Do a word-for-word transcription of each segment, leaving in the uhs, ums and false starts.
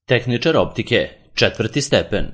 Tehničar optike, četvrti stepen.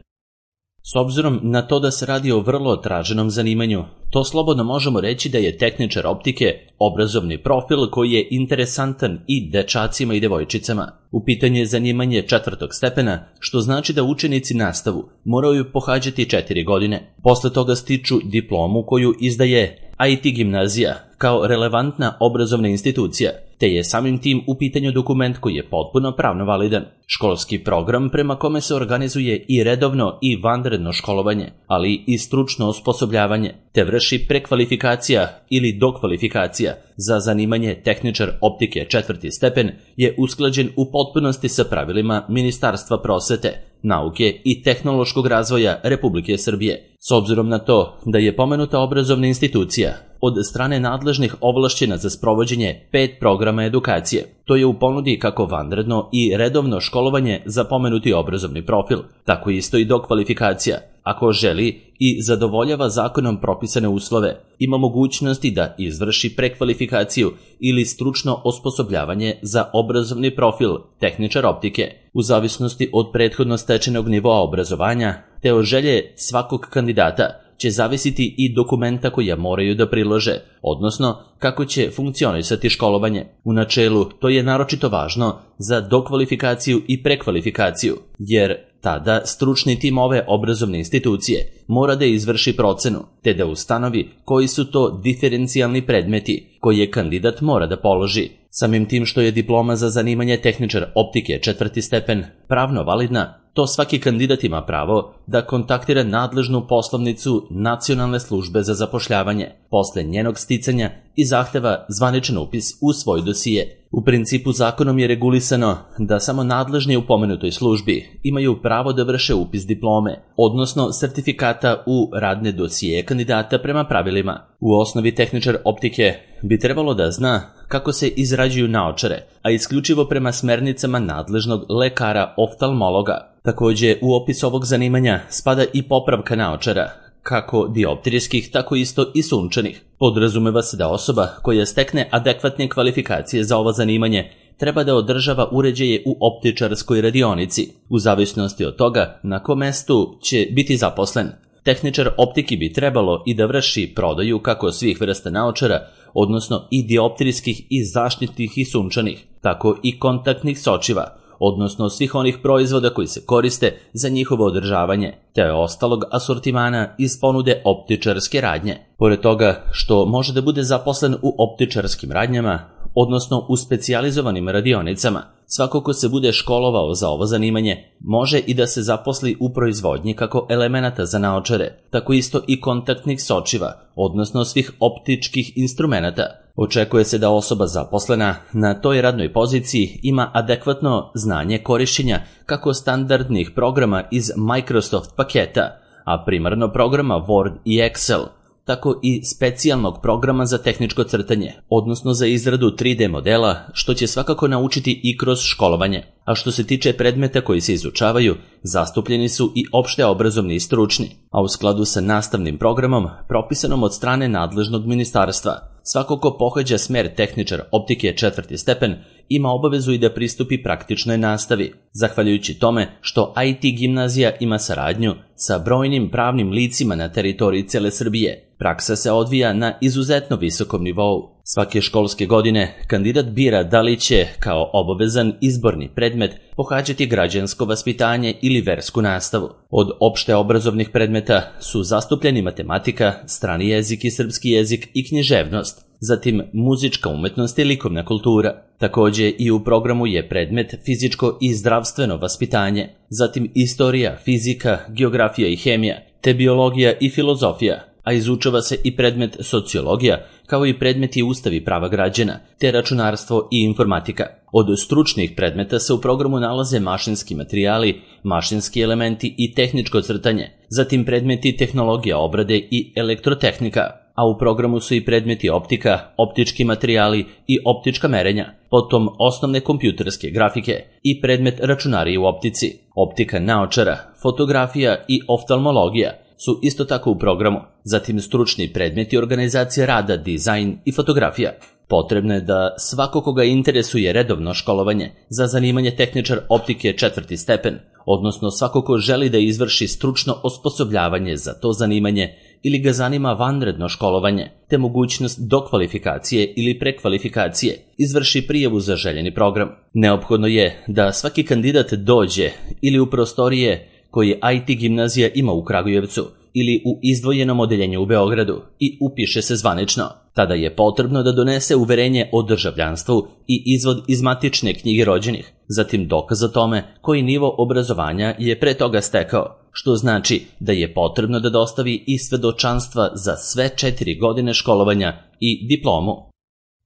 S obzirom na to da se radi o vrlo traženom zanimanju, to slobodno možemo reći da je tehničar optike obrazovni profil koji je interesantan i dečacima i devojčicama. U pitanju je zanimanje četvrtog stepena, što znači da učenici nastavu moraju pohađati četiri godine. Posle toga stiču diplomu koju izdaje I T gimnazija kao relevantna obrazovna institucija, te je samim tim u pitanju dokument koji je potpuno pravno validan. Školski program prema kome se organizuje i redovno i vanredno školovanje, ali i stručno osposobljavanje, te vrši prekvalifikacija ili dokvalifikacija za zanimanje tehničar optike četvrti stepen je usklađen u potpunosti sa pravilima Ministarstva prosvete, nauke i tehnološkog razvoja Republike Srbije. S obzirom na to da je pomenuta obrazovna institucija od strane nadležnih ovlašćena za sprovođenje pet programa edukacije, to je u ponudi kako vanredno i redovno školovanje za pomenuti obrazovni profil, tako isto i dokvalifikacija. Ako želi i zadovoljava zakonom propisane uslove, ima mogućnosti da izvrši prekvalifikaciju ili stručno osposobljavanje za obrazovni profil tehničar optike, u zavisnosti od prethodno stečenog nivoa obrazovanja, te od želje svakog kandidata će zavisiti i dokumenta koja moraju da prilože, odnosno kako će funkcionisati školovanje. U načelu to je naročito važno za dokvalifikaciju i prekvalifikaciju, jer tada stručni tim ove obrazovne institucije mora da izvrši procenu, te da ustanovi koji su to diferencijalni predmeti koje kandidat mora da položi. Samim tim što je diploma za zanimanje tehničar optike četvrti stepen pravno validna, to svaki kandidat ima pravo da kontaktira nadležnu poslovnicu Nacionalne službe za zapošljavanje posle njenog sticanja i zahteva zvaničan upis u svoj dosije. U principu zakonom je regulisano da samo nadležni u pomenutoj službi imaju pravo da vrše upis diplome, odnosno sertifikata u radne dosije kandidata prema pravilima. U osnovi tehničar optike bi trebalo da zna kako se izrađuju naočare, a isključivo prema smernicama nadležnog lekara oftalmologa. Takođe, u opis ovog zanimanja spada i popravka naočara, kako dioptrijskih, tako isto i sunčanih. Podrazumeva se da osoba koja stekne adekvatne kvalifikacije za ovo zanimanje treba da održava uređaje u optičarskoj radionici, u zavisnosti od toga na kom mestu će biti zaposlen. Tehničar optiki bi trebalo i da vrši prodaju kako svih vrsta naočara, odnosno i dioptrijskih i zaštitnih i sunčanih, tako i kontaktnih sočiva, odnosno svih onih proizvoda koji se koriste za njihovo održavanje, te ostalog asortimana iz ponude optičarske radnje. Pored toga što može da bude zaposlen u optičarskim radnjama, odnosno u specijalizovanim radionicama, svako ko se bude školovao za ovo zanimanje može i da se zaposli u proizvodnji kako elemenata za naočare, tako isto i kontaktnih sočiva, odnosno svih optičkih instrumenata. Očekuje se da osoba zaposlena na toj radnoj poziciji ima adekvatno znanje korišćenja kako standardnih programa iz Microsoft paketa, a primarno programa Word i Excel, tako i specijalnog programa za tehničko crtanje, odnosno za izradu tri D modela, što će svakako naučiti i kroz školovanje. A što se tiče predmeta koji se izučavaju, zastupljeni su i opšte obrazovni i stručni, a u skladu sa nastavnim programom propisanom od strane nadležnog ministarstva. Svako ko pohađa smer tehničar optike četvrti stepen ima obavezu i da pristupi praktičnoj nastavi, zahvaljujući tome što I T gimnazija ima saradnju sa brojnim pravnim licima na teritoriji cele Srbije. Praksa se odvija na izuzetno visokom nivou. Svake školske godine kandidat bira da li će, kao obavezan izborni predmet, pohađati građansko vaspitanje ili versku nastavu. Od opšte obrazovnih predmeta su zastupljeni matematika, strani jezik i srpski jezik i književnost, zatim muzička umetnost i likovna kultura. Takođe i u programu je predmet fizičko i zdravstveno vaspitanje, zatim istorija, fizika, geografija i hemija, te biologija i filozofija, a izučava se i predmet sociologija, kao i predmeti Ustav i prava građana, te računarstvo i informatika. Od stručnih predmeta se u programu nalaze mašinski materijali, mašinski elementi i tehničko crtanje, zatim predmeti tehnologija obrade i elektrotehnika, a u programu su i predmeti optika, optički materijali i optička merenja, potom osnovne kompjuterske grafike i predmet računarije u optici, optika naočara, fotografija i oftalmologija. su isto tako u programu, zatim stručni predmeti organizacije rada, dizajn i fotografija. Potrebno je da svako koga interesuje redovno školovanje za zanimanje tehničar optike četvrti stepen, odnosno svako ko želi da izvrši stručno osposobljavanje za to zanimanje ili ga zanima vanredno školovanje, te mogućnost dokvalifikacije ili prekvalifikacije, izvrši prijavu za željeni program. Neophodno je da svaki kandidat dođe ili u prostorije koje I T gimnazija ima u Kragujevcu ili u izdvojenom odeljenju u Beogradu i upiše se zvanično. Tada je potrebno da donese uverenje o državljanstvu i izvod iz matične knjige rođenih, zatim dokaz o tome koji nivo obrazovanja je pre toga stekao, što znači da je potrebno da dostavi i svedočanstva za sve četiri godine školovanja i diplomu.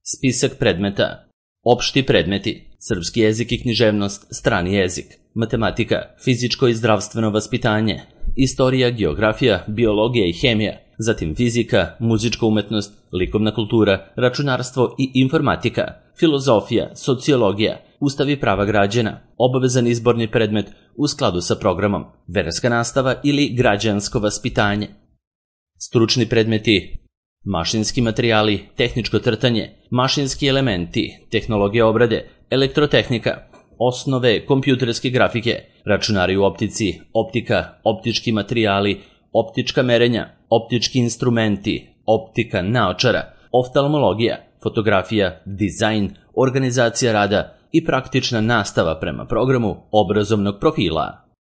Spisak predmeta. Opšti predmeti: srpski jezik i književnost, strani jezik, matematika, fizičko i zdravstveno vaspitanje, istorija, geografija, biologija i hemija, zatim fizika, muzička umetnost, likovna kultura, računarstvo i informatika, filozofija, sociologija, ustav i prava građana, obavezan izborni predmet u skladu sa programom, verska nastava ili građansko vaspitanje. Stručni predmeti: mašinski materijali, tehničko crtanje, mašinski elementi, tehnologija obrade, elektrotehnika, osnove kompjuterske grafike, računari u optici, optika, optički materijali, optička merenja, optički instrumenti, optika naočara, oftalmologija, fotografija, dizajn, organizacija rada i praktična nastava prema programu obrazovnog profila.